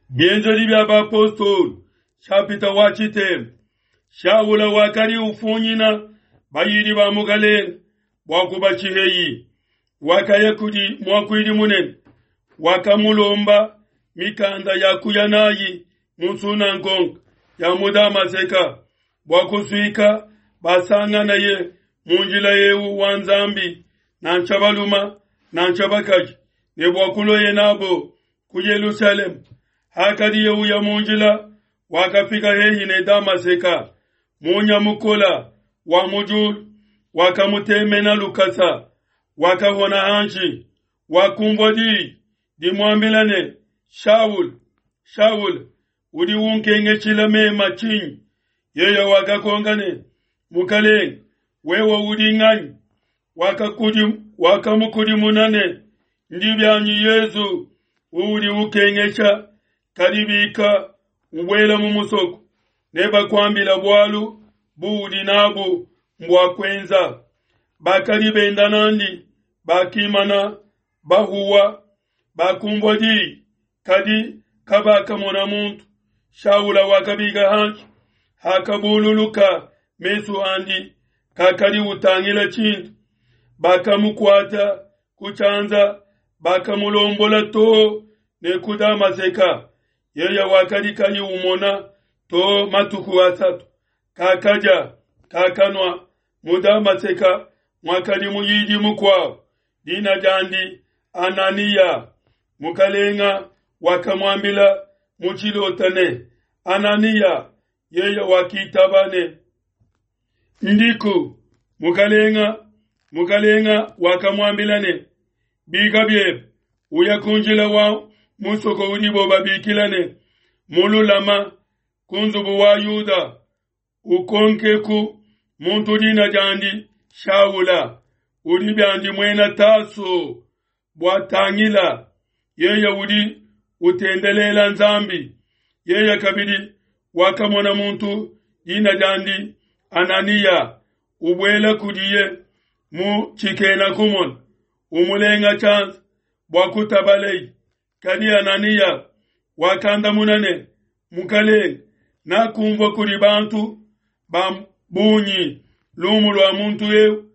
Bienzedi bia Bapostolo, nshapita wa tshitema. Shaula wakadi ufunyina bayidi ba Mukalenge bua kubashiheyi. Wakaya kudi muakuidi munene, wakamulomba mikanda ya kuya nayi mu nsunangonga ya mu Damaseka bua kusuika basanganaye mu njila eu wa Nzambi, nansha baluma nansha bakaji, ne bua kulueye nabo ku Yelushalema. Hakadiye uya mu njila, wakafika hehi ne Damaseka. Munya mukola wa mu diulu wakamutemena lukasa, wakahona hanshi, wakumvua diyi dimuambila ne, Shaul, Shaul, udi unkengeshila mema tshinyi? Yeye wakakonka ne, Mukalenge, wewe udi nganyi? Wakamukudimuna ne, Ndi bianyi Yezu uudi ukengesha, kadi bika ubuela mu musoko, nebakuambila bualu buudi nabu mbua kuenza. Bakadi benda nandi bakimana bahuwa, bakumvua diyi, kadi kabakamona muntu. Shaula wakabika hanshi, hakabululuka mesu andi, kakadi utangila tshintu. Bakamukuata ku tshianza, bakamulombola too ne ku Damaseka. Yeye wakadi kayi umona too matuku asatu, kakadia, kakanua. Mu Damaseka muakadi muyidi mukuabo, dina diandi Ananiya. Mukalenga wakamuambila mu tshilota ne, Ananiya. Yeye wakitaba ne, Ndiku, Mukalenga. Mukalenga wakamuambila ne, Bika biebe, uya ku njila wa musoko udibo babikila ne, Mululama, ku nzubu wa Yuda, ukonkeku muntu dina diandi Shaula, udi biandi muena Taso, bua tangila, yeye udi utendelela Nzambi. Yeye kabidi wakamona muntu dina diandi Ananiya ubuela kudiye mu tshikena kumona, umulenga tshianza bua kutabaleye. Kadi Ananiya wakandamuna ne, Mukalenge, nakumvua kudi bantu ba bungi lumu lua muntu eu,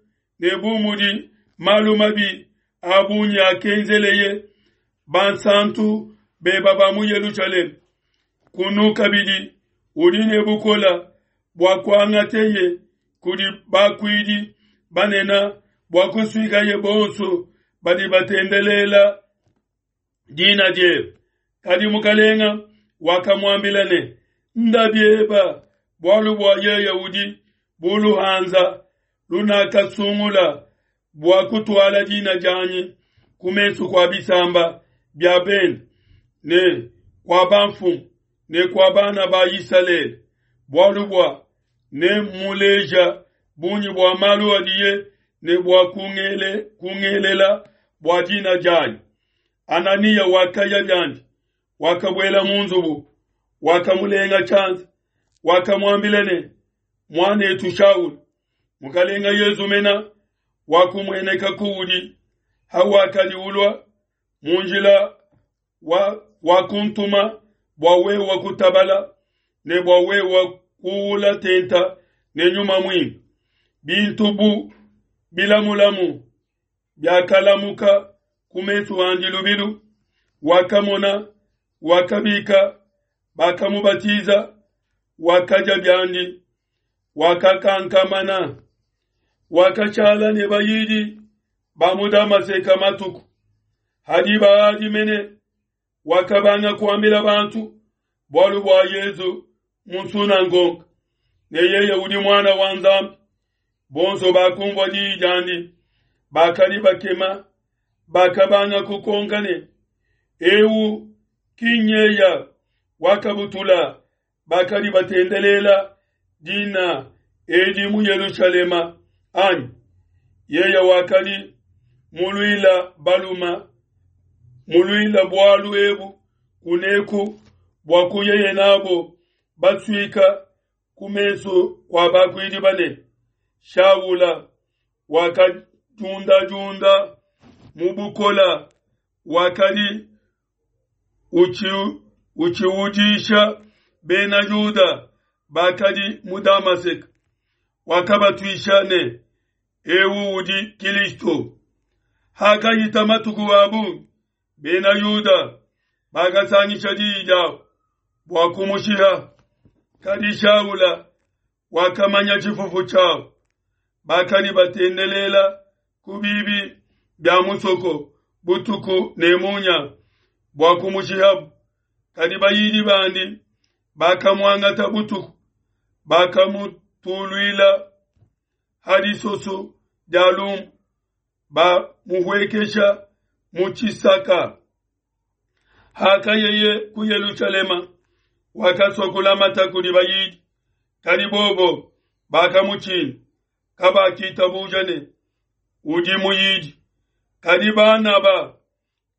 ne bu mudi malu mabi a bungi akenzeleye bansantu beba ba mu Yelushalema. Kunu kabidi udi ne bukola bua kuangateye kudi bakuidi banene bua kusuikaye bonso badi batendelela dina diebe. Kadi mukalenga wakamuambila ne, Nda bieba, bualu bua yeye udi bu luhanza lunakasungula bua kutuala dina dianyi ku mesu kua bisamba bia bende ne kua bamfumu ne kua bana ba Isalele, bualu bua nemmuleja bungi bua malu adiye ne bua kungelela bua dina dianyi. Ananiya wakaya biandi, wakabuela mu nzubu, wakamulenga tshianza, wakamuambila ne, Muanetu Shaul, Mukalenga Yezu mena wakumueneka kuudi hawakadi ulua mu njila wa wakuntuma bua wewa kutabala ne bua wewa kuula tenta ne nyuma muimpe. Bintu bu bilamulamu biakalamuka ku mesu andi lubilu, wakamona, wakabika, bakamubatiza, wakadia biandi, wakakankamana, wakashala ne bayidi ba mu Damaseka matuku. Hadiba adi mene wakabanga kuambila bantu bualu bua Yezu mu nsunangonga ne yeye udi muana wa Nzambi. Bonso bakumvua diyi diandi bakadi bakema, bakabanga kukonka ne, Eu ki nyeya wakabutula bakadi batendelela dina edi mu Yelushalema anyi? Yeye wakadi muluila baluma muluila bualu ebu kuneku bua kuyeye nabo basuika ku mesu kua bakuidi banene. Shaula wakadiundadiunda mu bukola, wakadi utshiudisha Bena Yuda bakadi mu Damaseke, wakabatuisha ne, Eu udi Kilisto. Hakahita matuku a bungi, Bena Yuda bakasangisha diyi diabo bua kumushiha. Kadi Shaula wakamanya tshifufu tshiabo, bakadi batendelela ku bibi bia musoko butuku ne munya bua kumushihabo. Kadi bayidi bandi bakamuangata butuku, bakamutuluila ha disoso dia lumbu, bamuhuekesha mu tshisaka. Hakayeye ku Yelushalema, wakasua kulamata kudi bayidi, kadi bobo bakamutshina, kabakitabuja ne udi muyidi. Kadi Banaba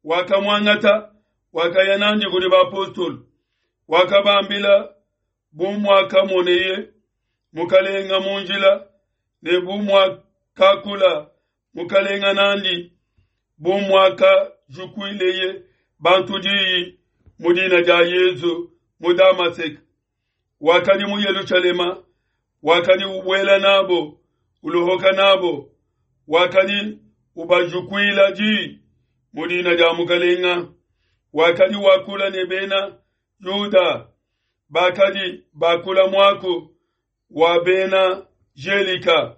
wakamuangata, wakaya nandi kudi bapostolo, wakabambila bu muakamoneye Mukalenga mu njila, ne bu muakakula Mukalenga nandi, bu muakajukuileye bantu diyi mu dina dia Yezu mu Damaseke. Wakadi mu Yelushalema, wakadi ubuela nabo, ulohoka nabo, wakadi ubajukuila diyi mu dina dia Mukalenga, wakadi wakula ne bena Yuda bakadi bakula muaku wa bena Gelika,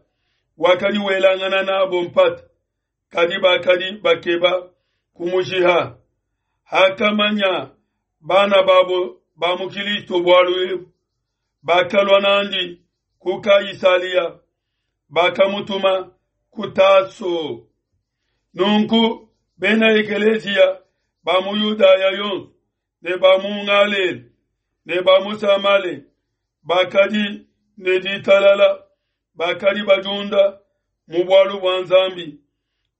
wakadi welangana nabo mpata, kadi bakadi bakeba kumushiha. Hakamanya bana babo ba mu Kilisto bualu ebu, bakalua nandi ku Kaisalia, bakamutuma ku Taso. Nunku bena ekeleziya ba mu Yudaya yonso ne ba mu Ngalela ne ba mu Samale bakadi ne ditalala, bakadi badiunda mu bualu bua Nzambi,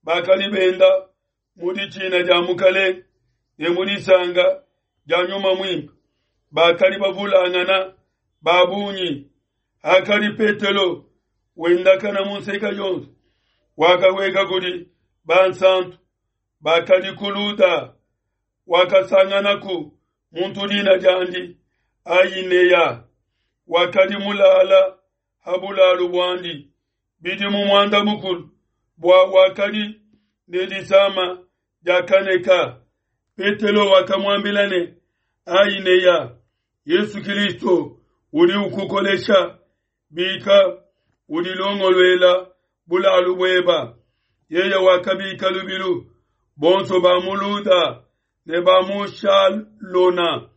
bakadi benda mu ditshina dia Mukalenge ne mu disanka dia Nyuma Muimpe, bakadi bavulangana ba bungi. Hakadi Petelo wendakana mu nseka yonso, wakahueka kudi bansanto bakadi ku Luda, wakasanganaku muntu dina diandi Aineya, wakadi mulala ha bulalu buandi bidimu muanda mukulu, bua wakadi ne disama dia kaneka. Petelo wakamuambila ne, Aineya, Yesu Kilisto udi ukukolesha, bika, udilongoluela bulalu bueba. Yeye wakabika lubilu, bonso ba mu Luda ne ba mu Shalona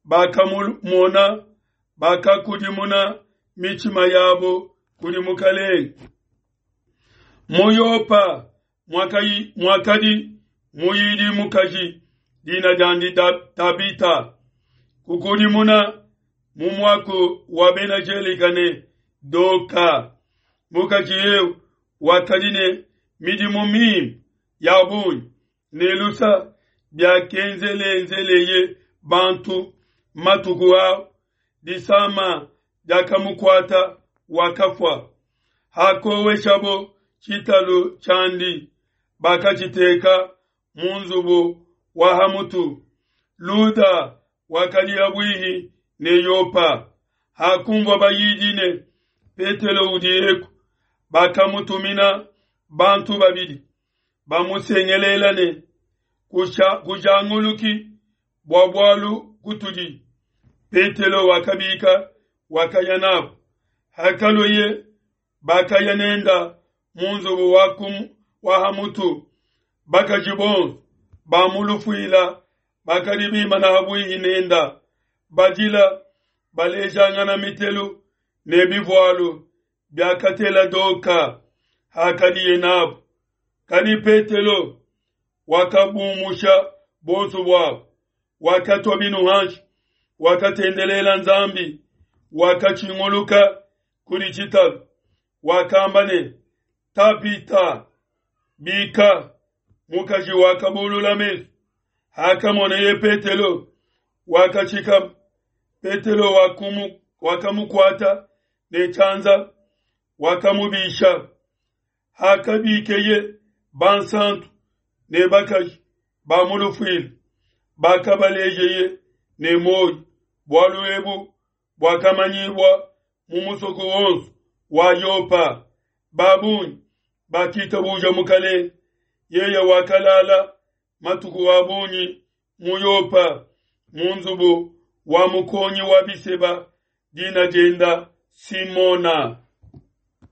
bakamumona, bakakudimuna mitshima yabo kudi Mukalenge. Mu Yopa muakadi muyidi mukaji dina diandi Tabita, kukudimuna mu muaku wa Bena Gelika ne Doka. Mukaji eu wakadi ne midimu mimpe ya bungi ne lusa biakenzelenzeleye bantu matuku ao. Disama diakamukuata, wakafua. Hakoweshabo tshitalu tshiandi, bakatshiteka mu nzubu wa ha mutu. Luda wakadi habuihi ne Yopa. Hakunvua bayidi ne Petelo udi eku, bakamutumina bantu babidi, bamusengelela ne, Kujanguluki bua bualu kutudi. Petelo wakabika, wakaya nabo. Hakalueye, bakaya nenda mu nzubu wa ha mutu. Bakaji bonso ba mu lufuila bakadi bimana habuihi nenda, badila, balejangana mitelu ne bivualu biakatela Doka hakadiye nabo. Kadi Petelo wakabumusha bonso buabo, wakatua binu hanshi, wakatendelela Nzambi, wakatshinguluka kudi tshitalu, wakamba ne, Tabita, bika. Mukaji wakabulula mesu, hakamoneye Petelo, wakatshikama. Petelo wakamukuata ne tshianza, wakamubisha. Hakabikeye bansantu ne bakaji ba mu lufuila, bakabalejeye ne muoyo. Bualu ebu buakamanyibua mu musoko wonso wa Yopa, ba bungi bakitabuja Mukalenge. Yeye wakalala matuku a bungi mu Yopa mu nzubu wa mukongi wa biseba, dina dienda Simona.